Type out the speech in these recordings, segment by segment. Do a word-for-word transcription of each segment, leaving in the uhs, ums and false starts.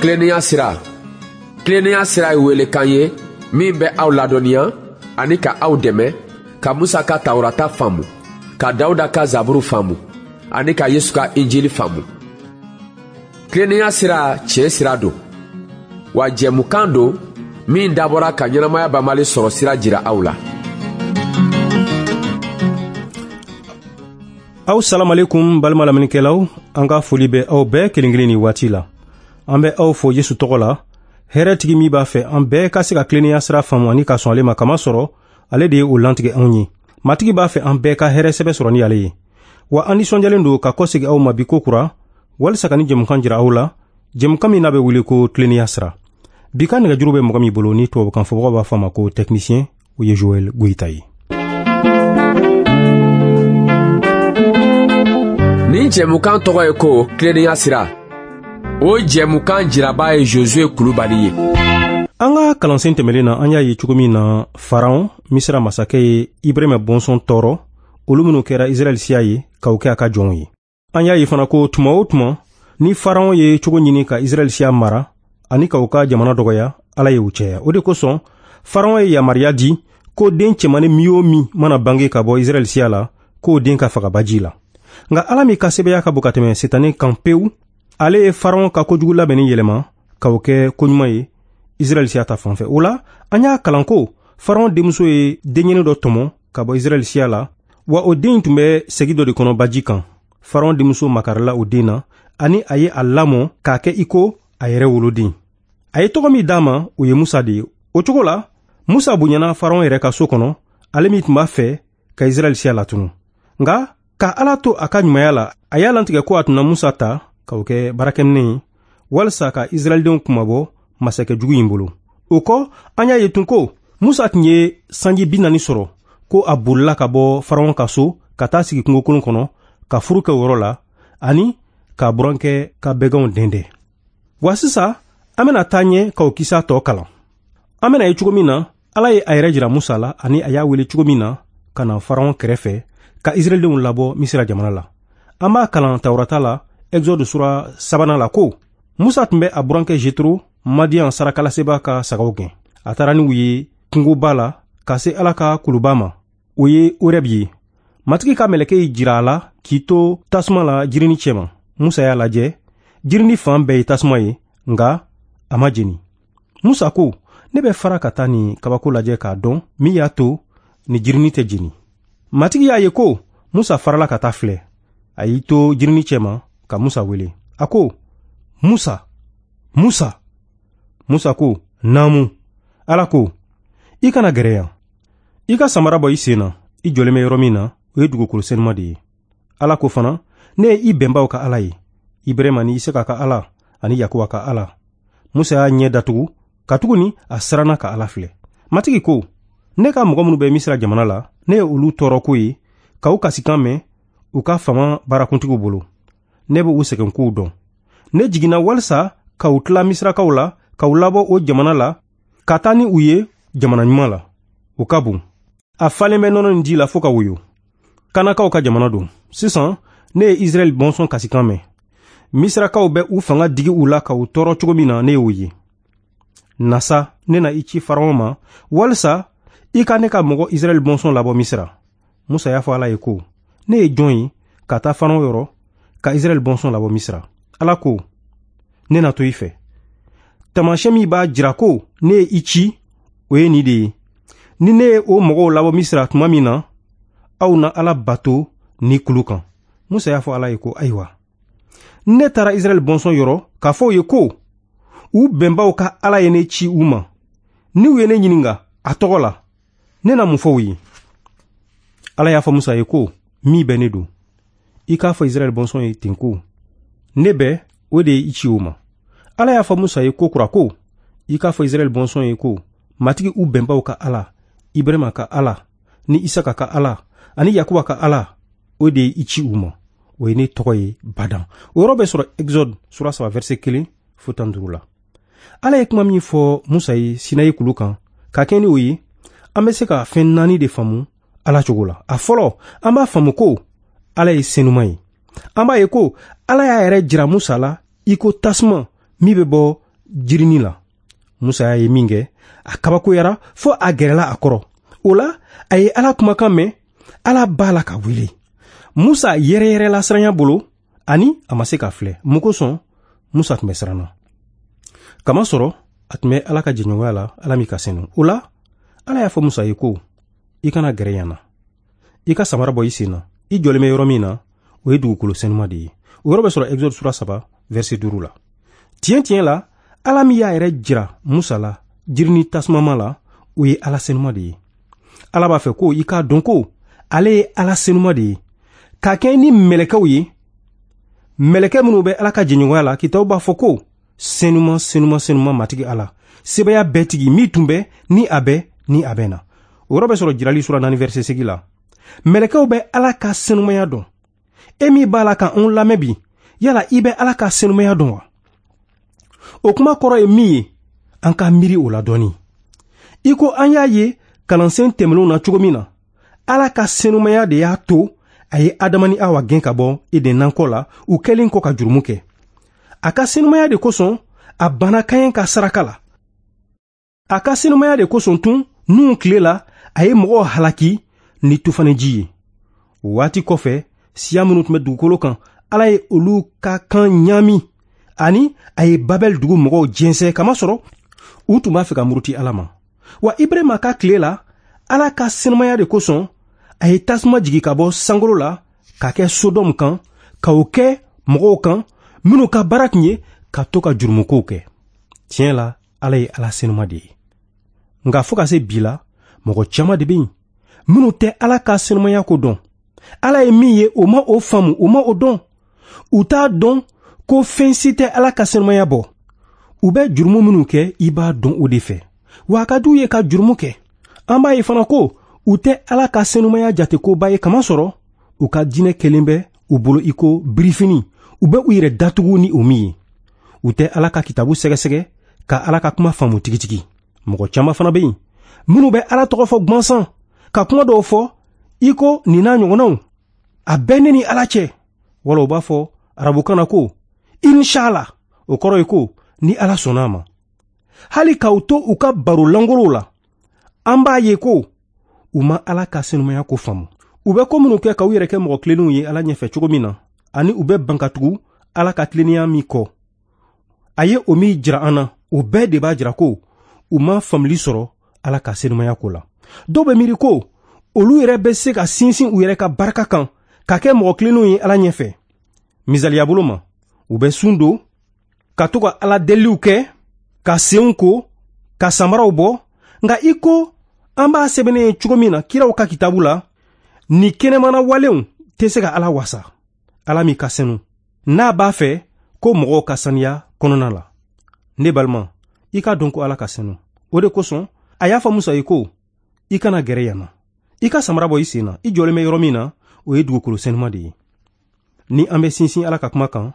Tilennenya sira. Tilennenya sira ye welekan ye min bɛ aw ladɔnniya ani ka aw dɛmɛ ka Musa ka Tawurata faamu, ka Dawuda ka Zaburu faamu ani ka Yesu ka Injili faamu. Tilennenya sira tiɲɛ sira don, wa jɛmukan don min dabɔra ka ɲɛnamaya banbali sɔrɔ sira jira aw la. Aw salamalekum balima lamɛnnikɛlaw, an ka foli bɛ aw bɛɛ kelen kelen ni waati la. An bɛ aw fo Yesu tɔgɔ la, hɛrɛtigi min b'a fɛ an bɛɛ ka se ka tilennenya sira faamu ani ka sɔn ale ma, kama sɔrɔ ale de ye o lantigɛ anw ye. Matigi b'a fɛ an bɛɛ ka hɛrɛ sɛbɛ sɔrɔ ni ale ye. Wa an nisɔndiyalen don ka kɔsegin aw ma bi ko kura, walisa ka ni jɛmukan jira aw la, jɛmukan min n'a bɛ wele ko tilennenya sira. Bi ka nɛgɛjuru bɛ mɔgɔ min bolo ni tubabukan fɔbagaw b'a fɔ a ma ko technicien, o ye Joël Goïta ye. Nin jɛmukan tɔgɔ ye ko tilennenya sira. O jɛmukan jiraba ye Josué Kulubali ye. An ka kalansen tɛmɛlen na, an y'a ye cogo min na Faraon, Misira masakɛ ye Ibrahima bɔnsɔn tɔɔrɔ, olu minnu kɛra Israɛl siya ye k'o kɛ a ka jɔnw ye. An y'a ye fana ko tuma o tuma ni Faraon ye cogo ɲini ka Israɛl siya mara ani k'u ka jamana dɔgɔya, Ala ye u cɛya. O de kosɔn Faraon ye yamaruya di ko den cɛmannin min o min mana bange ka bɔ Israɛl siya la, k'o den ka faga baji la. Nka Ala min ka sɛbɛya ka bon ka tɛmɛ Setane kan pewu, ale ye Faraon ka kojugu labɛnni yɛlɛma k'o kɛ koɲuman ye Israɛl siya ta fan fɛ. O la, an y'a kalan ko Faraon denmuso ye denɲɛnin dɔ tɔmɔ ka bɔ Israɛl siya la, wa o den tun bɛ segi dɔ de kɔnɔ baji kan. Faraon denmuso makarila o den na, ani a ye a lamɔ k'a kɛ i ko a yɛrɛ woloden. A ye tɔgɔ min d'a ma, o ye Musa de ye. O cogo la, Musa bonyana Faraon yɛrɛ ka so kɔnɔ, ale min tun b'a fɛ ka Israɛl siya latunu. Nka ka Ala to a ka ɲumanya la, a y'a lantigɛ ko a tun na Musa ta k'o kɛ baarakɛminɛ ye walisa ka Israɛldenw kunmabɔ masakɛ jugu in bolo. O kɔ, an y'a ye tun ko Musa tun ye sanji bi naani sɔrɔ, ko a bolila ka bɔ Faraon ka so ka taa sigi kungokolon kɔnɔ ka furu kɛ o yɔrɔ la ani k'a burankɛ ka bɛganw dɛndɛn. Wa sisan an bɛna taa ɲɛ k'o kisa tɔ kalan. An bɛna ye cogo min na Ala ye a yɛrɛ jira Musa la ani a y'a wele cogo min na ka na Faraon kɛrɛfɛ ka Israɛldenw labɔ Misira jamana la. An b'a kalan Tawurata la, Exode sura sabanan la ko Musa tun bɛ a burankɛ Jetro, Madian sarakalaseba ka sagaw gɛn. A taara n'u ye kungoba la ka se Ala ka kuluba ma, o ye Oreb ye. Matigi ka mɛlɛkɛ y'i jira a la k'i to tasuma la jirini cɛma. Musa y'a lajɛ, jirini fan bɛɛ ye tasuma ye, nka a ma jeni. Musa ko, ne bɛ fara ka taa nin kabako lajɛ k'a dɔn min y'a to ni jirini tɛ jeni. Matigi y'a ye ko Musa farala ka taa filɛ. A y'i to jirini cɛma ka Musa wele. A ko, Musa, Musa. Musa ko, naamu. Ala ko, i kana gɛrɛ yan. I ka samara bɔ i sen na, i jɔlen bɛ yɔrɔ min na, o ye dugukolo senuma de ye. Ala ko fana, ne ye i bɛnbaw ka Ala ye, Ibrahima ni Isaka ka Ala ani Yakuba ka Ala. Musa y'a ɲɛ datugu, katuguni a siranna ka Ala filɛ. Matigi ko, ne ka mɔgɔ minnu bɛ Misira jamana la, ne ye olu tɔɔrɔ ko ye, k'u kasikan mɛn u ka fama baarakuntigiw bolo. Ne bɛ u sɛgɛn kow dɔn. Ne jiginna walisa ka u tila Misirakaw la, ka u labɔ o jamana la, ka taa ni u ye jamana ɲuman la. O ka bon. A falen bɛ nɔnɔ ni ji la fo ka woyo. Kanakaw ka jamana don. Sisan, ne ye Israɛl bɔnsɔn kasikan mɛn. Misirakaw bɛ u fanga digi u la ka u tɔɔrɔ cogo min na, ne y'o ye. Nasa, ne na i ci Faraon ma, walisa i ka ne ka mɔgɔ Israɛl bɔnsɔn labɔ Misira. Musa y'a fɔ Ala ye ko, ne ye jɔn ye ka taa Faraon yɔrɔ ka Israɛl bɔnsɔn labɔ Misira? Ala ko, ne na to i fɛ. Taamasiyɛn min b'a jira ko ne ye i ci, o ye nin de ye. Ni ne ye o mɔgɔw labɔ Misira tuma min na, aw na Ala bato ni kulu kan. Musa y'a fɔ Ala ye ko, ayiwa, ne taara Israɛl bɔnsɔn yɔrɔ k'a fɔ u ye ko u bɛnbaw ka Ala ye ne ci u ma. Ni u ye ne ɲininka a tɔgɔ la, ne na mun fɔ u ye? Ala y'a fɔ Musa ye ko, min bɛ ne don, i k'a fɔ Israɛl bɔnsɔn ye ten ko, ne bɛ, o de ye i ci u ma. Ala y'a fɔ Musa ye ko kura ko, i k'a fɔ Israɛl bɔnsɔn ye ko, Matigi u bɛnbaw ka Ala, Ibrahima ka Ala, ni Isaka ka Ala, ani Yakuba ka Ala, o de ye i ci u ma. O ye ne tɔgɔ ye badan. O yɔrɔ bɛ sɔrɔ Exode sura saba verset kelen fo tan duuru la. Ala ye kuma min fɔ Musa ye Sinayi kulu kan, ka kɛ ni o ye, an bɛ se ka fɛn naani de faamu Ala cogo la. A fɔlɔ, an b'a faamu ko Ala ye senuma ye. An b'a ye ko Ala y'a yɛrɛ jira Musa la i ko tasuma min bɛ bɔ jirinin la. Musa y'a ye min kɛ, a kabakoyara fo a gɛrɛla a kɔrɔ. O la, a ye Ala kumakan mɛn, Ala b'a la ka wele. Musa yɛrɛyɛrɛla siranya bolo, ani a ma se k'a filɛ. Mun kosɔn? Musa tun bɛ siran na. Kamasɔrɔ a tun bɛ Ala ka jɛɲɔgɔnya la, Ala min ka senu. O la, Ala y'a fɔ Musa ye ko, i kana gɛrɛ yan na. I ka samara bɔ i sen na. I jɔlen bɛ yɔrɔ min na, o ye dugukolo senuma de ye. O yɔrɔ bɛ sɔrɔ Exode sura saba, verset duuru la. Tiɲɛ tiɲɛ la, Ala min y'a yɛrɛ jira Musa la jirini tasumama la, o ye Ala senuma de ye. Ala b'a fɛ ko i k'a dɔn ko ale ye Ala senuma de ye. K'a kɛ ni mɛlɛkɛw ye, mɛlɛkɛ minnu bɛ Ala ka jɛɲɔgɔnya la, kitabu b'a fɔ ko senuma senuma senuma Matigi Ala, sebaya bɛɛ tigi min tun bɛ, ni a bɛ, ni a bɛ na. O yɔrɔ bɛ sɔrɔ Jirali sura naani verset segin la. Mɛlɛkɛw bɛ Ala ka senumaya dɔn. E min b'a la ka anw lamɛn bi, yala i bɛ Ala ka senumaya dɔn wa? O kuma kɔrɔ ye min ye, an ka miiri o la dɔɔni. I ko an y'a ye kalansen tɛmɛnenw na cogo min na, Ala ka senumaya de y'a to a ye Adama ni Awa gɛn ka bɔ Eden nakɔ la, u kɛlen kɔ ka jurumu kɛ. A ka senumaya de kosɔn a banna Kaɲɛ ka saraka la. A ka senumaya de kosɔn tun Nuhun tile la, a ye mɔgɔw halaki ni tufaniji ye. O waati kɔfɛ, siya minnu tun bɛ dugukolo kan, Ala ye olu ka kan ɲaami, ani a ye Babɛl dugu mɔgɔw jɛnsɛn, kamasɔrɔ u tun b'a fɛ ka muruti Ala ma. Wa Ibrahima ka tile la, Ala ka senumaya de kosɔn a ye tasuma jigi ka bɔ sankolo la ka kɛ Sodɔmu kan, ka o kɛ mɔgɔw kan minnu ka baara tun ye ka to ka jurumukow kɛ. Tiɲɛ la, Ala ye Ala senuma de ye. Nka fo ka se bi la, mɔgɔ caman de bɛ yen minnu tɛ Ala ka senumaya ko dɔn. Ala ye min ye, o ma o faamu, o ma o dɔn. U t'a dɔn ko fɛn si tɛ Ala ka senumaya bɔ. U bɛ jurumu minnu kɛ, i b'a dɔn o de fɛ. Wa a ka d'u ye ka jurumu kɛ. An b'a ye fana ko u tɛ Ala ka senumaya jate koba ye, kamasɔrɔ u ka diinɛ kelen bɛ u bolo i ko birifini, u bɛ u yɛrɛ datugu ni o min ye. U tɛ Ala ka kitabu sɛgɛsɛgɛ ka Ala ka kuma faamu tigitigi. Mɔgɔ caman fana bɛ yen minnu bɛ Ala tɔgɔ fɔ gansan, ka kuma dɔw fɔ i ko nin n'a ɲɔgɔnnaw, a bɛɛ ne ni Ala cɛ. Wala u b'a fɔ arabukan na ko inshallah, o kɔrɔ ye ko ni Ala sɔnna a ma. Hali k'aw to u ka baro langolow la, an b'a ye ko u ma Ala ka senumaya ko faamu. U bɛ ko minnu kɛ k'u yɛrɛ kɛ mɔgɔ tilennenw ye Ala ɲɛfɛ cogo min na, ani u bɛ ban ka tugu Ala ka tilennenya min kɔ, a ye o min jira an na, o bɛɛ de b'a jira ko u ma faamuli sɔrɔ Ala ka senumaya ko la. Dɔw bɛ miiri ko olu yɛrɛ bɛ se ka sinsin u yɛrɛ ka barika kan ka kɛ mɔgɔ tilennenw ye Ala ɲɛfɛ. Misaliya bolo ma, u bɛ sun don, ka to ka Ala deliliw kɛ, ka senw ko, ka samaraw bɔ. Nka i ko an b'a sɛbɛnnen ye cogo min na kiraw ka kitabu la, ni kɛnɛmana walenw tɛ se ka Ala wasa. Ala min ka senu, n'a b'a fɛ ko mɔgɔw ka saniya kɔnɔna la. Ne balima, i k'a dɔn ko Ala ka senu. O de kosɔn a y'a fɔ Musa ye ko, i kana gɛrɛ yan na. I ka samara bɔ i sen na. I jɔlen bɛ yɔrɔ min na, o ye dugukolo senuma de ye. Ni an bɛ sinsin Ala ka kuma kan,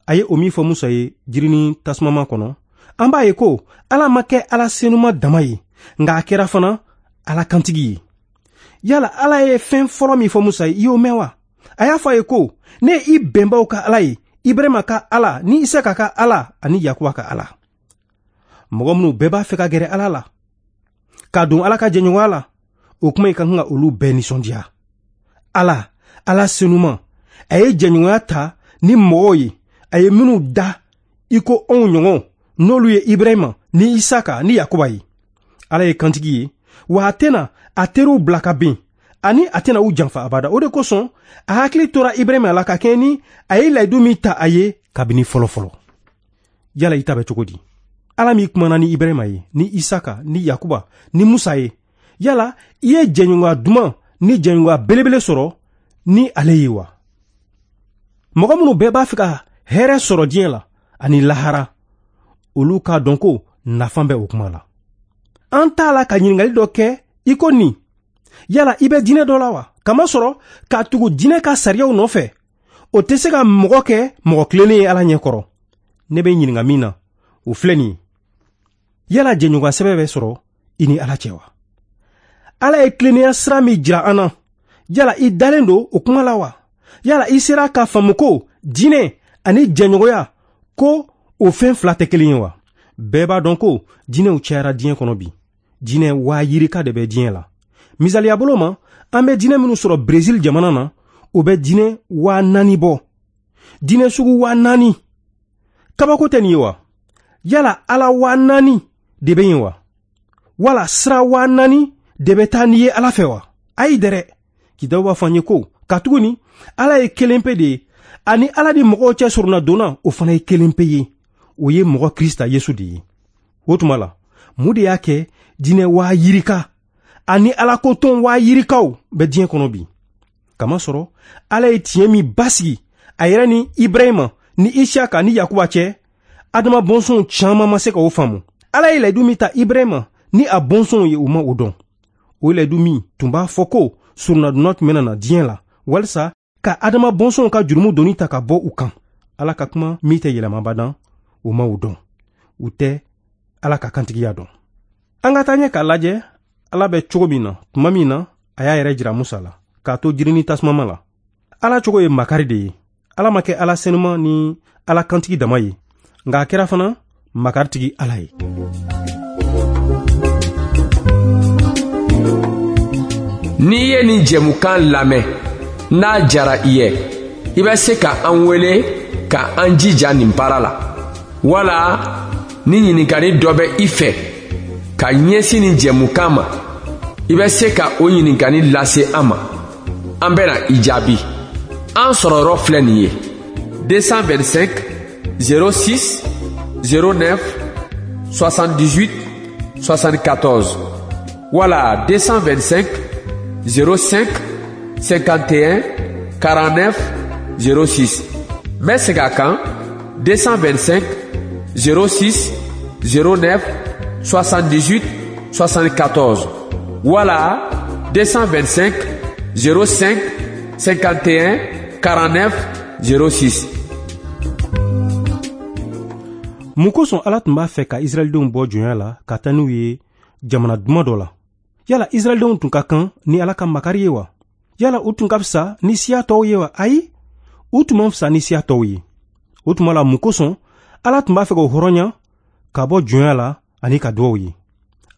a ye o min fɔ Musa ye jirinin tasumama kɔnɔ, an b'a ye ko Ala ma kɛ Ala senuma dama ye, nka a kɛra fana Ala kantigi ye. Yala Ala ye fɛn fɔlɔ min fɔ Musa ye, i y'o mɛn wa? A y'a fɔ a ye ko, ne ye i bɛnbaw ka Ala ye, Ibrahima ka Ala, ni Isaka ka Ala, ani Yakuba ka Ala. Mɔgɔ minnu bɛɛ b'a fɛ ka gɛrɛ Ala la, ka don Ala ka jɛɲɔgɔnya la, o kuma in ka kan ka olu bɛɛ nisɔndiya. Ala, Ala senuma, a ye jɛɲɔgɔnya ta ni mɔgɔw ye, a ye minnu da i ko anw ɲɔgɔn, n'olu ye Ibrahima ni Isaka ni Yakuba ye. Ala ye kantigi ye, wa a tɛna a teriw bila ka bin, ani a tɛna u janfa abada. O de kosɔn a hakili tora Ibrahima la ka kɛɲɛ ni a ye layidu min ta a ye kabini fɔlɔ-fɔlɔ. Yala i ta bɛ cogo di? Ala min kumana ni Ibrahima ye, ni Isaka, ni Yakuba, ni Musa ye, yala i ye jɛɲɔgɔnya duman ni jɛɲɔgɔnya belebele sɔrɔ ni ale ye wa? Mɔgɔ minnu bɛɛ b'a fɛ ka hɛrɛ sɔrɔ diɲɛ la ani lahara, olu k'a dɔn ko nafa bɛ o kuma la. An t'a la ka ɲininkali dɔ kɛ i ko nin: yala i bɛ diinɛ dɔ la wa? Kamasɔrɔ k'a tugu diinɛ ka sariyaw nɔfɛ, o tɛ se ka mɔgɔ kɛ mɔgɔ tilennen ye Ala ɲɛkɔrɔ. Ne bɛ ɲininka min na, o filɛ nin ye: yala jɛɲɔgɔnya sɛbɛn bɛ sɔrɔ i ni Ala cɛ wa? Ala ye tilennenya sira min jira an na, yala i dalen don o kuma la wa? Yala i sera k'a faamu ko diinɛ ani jɛɲɔgɔnya, ko o fɛn fila tɛ kelen ye wa? Bɛɛ b'a dɔn ko jinɛw cayara diɲɛ kɔnɔ bi. Jinɛ waa yirika de bɛ diɲɛ la. Misaliya bolo ma, an bɛ jinɛ minnu sɔrɔ Brésil jamana na, o bɛ jinɛ waa naani bɔ. Jinɛ sugu waa naani. Kabako tɛ nin ye wa? Yala ala waa naani de bɛ yen wa? Wala sira waa naani de bɛ taa n'i ye ala fɛ wa? Ayi dɛrɛ. Kitabu b'a fɔ an ye ko katuguni ala ye kelen pe de ye, ani ala ni mɔgɔw cɛ surunna donna, o fana ye kelen pe ye. O ye mɔgɔ Krista Yesu de ye. O tuma la, mun de y'a kɛ jinɛ waa yirika ani alakotɔn waa yirikaw bɛ diɲɛ kɔnɔ bi? Kamasɔrɔ ala ye tiɲɛ min basigi a yɛrɛ ni Ibrahima ni Isaka ni Yakuba cɛ, Adama bɔnsɔnw caman ma se ka o faamu. Ala ye layidu min ta Ibrahima ni a bɔnsɔnw ye, u ma o dɔn. O layidu min tun b'a fɔ ko surunadonna tun bɛna na diɲɛ la walisa ka Adama bɔnsɔnw ka jurumu doni ta ka bɔ u kan. Ala ka kuma min tɛ yɛlɛmabadan, u ma o dɔn. U tɛ Ala ka kantigiya dɔn. An ka taa ɲɛ k'a lajɛ Ala bɛ cogo min na tuma min na a y'a yɛrɛ jira Musa la k'a to jiri ni tasumama la. Ala cogo ye makari de ye. Ala ma kɛ Ala senuma ni Ala kantigi dama ye, nka a kɛra fana makaritigi Ala ye. N'i ye nin jɛmukan lamɛn, n'a jara i ye, i bɛ se ka an wele ka an jija nin baara la. Wala ni ɲininkali dɔ bɛ i fɛ ka ɲɛsin nin jɛmukan ma, i bɛ se ka o ɲininkali lase an ma. An bɛna i jaabi. An sɔrɔ yɔrɔ filɛ nin ye: deux cent vingt-cinq zéro six zéro neuf soixante-dix-huit soixante-quatorze wala deux cent vingt-cinq zéro cinq cinquante et un quarante-neuf zéro six. N bɛ segin a kan: deux cent vingt-cinq zéro six zéro neuf soixante-dix-huit soixante-quatorze wala deux cent vingt-cinq zéro cinq cinquante et un quarante-neuf zéro six. Mun kosɔn Ala tun b'a fɛ ka Israɛldenw bɔ jɔnya la ka taa n'u ye jamana duman dɔ la? Yala Israɛldenw tun ka kan ni Ala ka makari ye wa? Yala u tun ka fisa ni siya tɔw ye wa? Ayi, u tun man fisa ni siya tɔw ye. O tuma la, mun kosɔn Ala tun b'a fɛ k'o hɔrɔnya ka bɔ jɔnya la ani ka duwaw ye?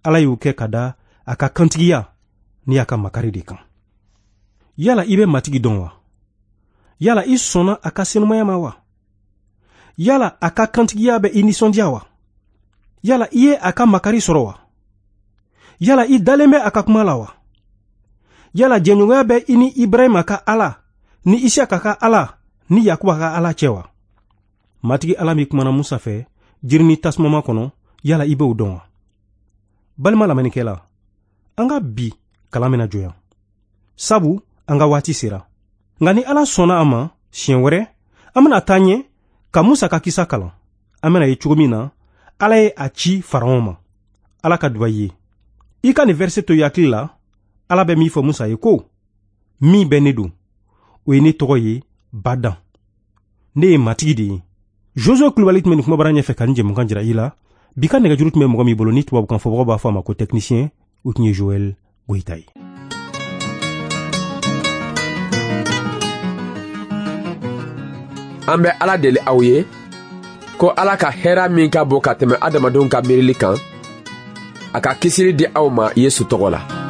Ala y'o kɛ ka da a ka kantigiya ni a ka makari de kan. Yala i bɛ Matigi dɔn wa? Yala i sɔnna a ka senumaya ma wa? Yala a ka kantigiya bɛ i nisɔndiya wa? Yala i ye a ka makari sɔrɔ wa? Yala i dalen bɛ a ka kuma la wa? Yala jɛɲɔgɔnya bɛ i ni Ibrahima ka Ala, ni Isaka ka Ala, ni Yakuba ka Ala cɛ wa? Matigi Ala min kumana Musa fɛ jiri ni tasumama kɔnɔ, yala i b'o dɔn wa? Balima lamɛnnikɛla, an ka bi kalan bɛna jɔ yan, sabu an ka waati sera. Nka ni Ala sɔnna a ma, siɲɛ wɛrɛ an bɛna taa ɲɛ ka Musa ka kisa kalan. An bɛna ye cogo min na Ala ye a ci Faraon ma. Ala ka duba i ye. I ka nin verset to i hakili la. Ala bɛ min fɔ Musa ye ko: min bɛ ne don, o ye ne tɔgɔ ye badan. Ne ye Matigi de ye. Josué Kulubali tun bɛ nin kumabara ɲɛfɛ ka nin jɛmukan jira i la. Bi ka nɛgɛjuru tun bɛ mɔgɔ min bolo ni tubabukan fɔbagaw b'a fɔ a ma ko technicien, o tun ye Joël Goyita ye. An bɛ Ala deli aw ye ko Ala ka hɛrɛ min ka bon ka tɛmɛ adamadenw ka miirili kan, a ka kisili di aw ma Yesu tɔgɔ la.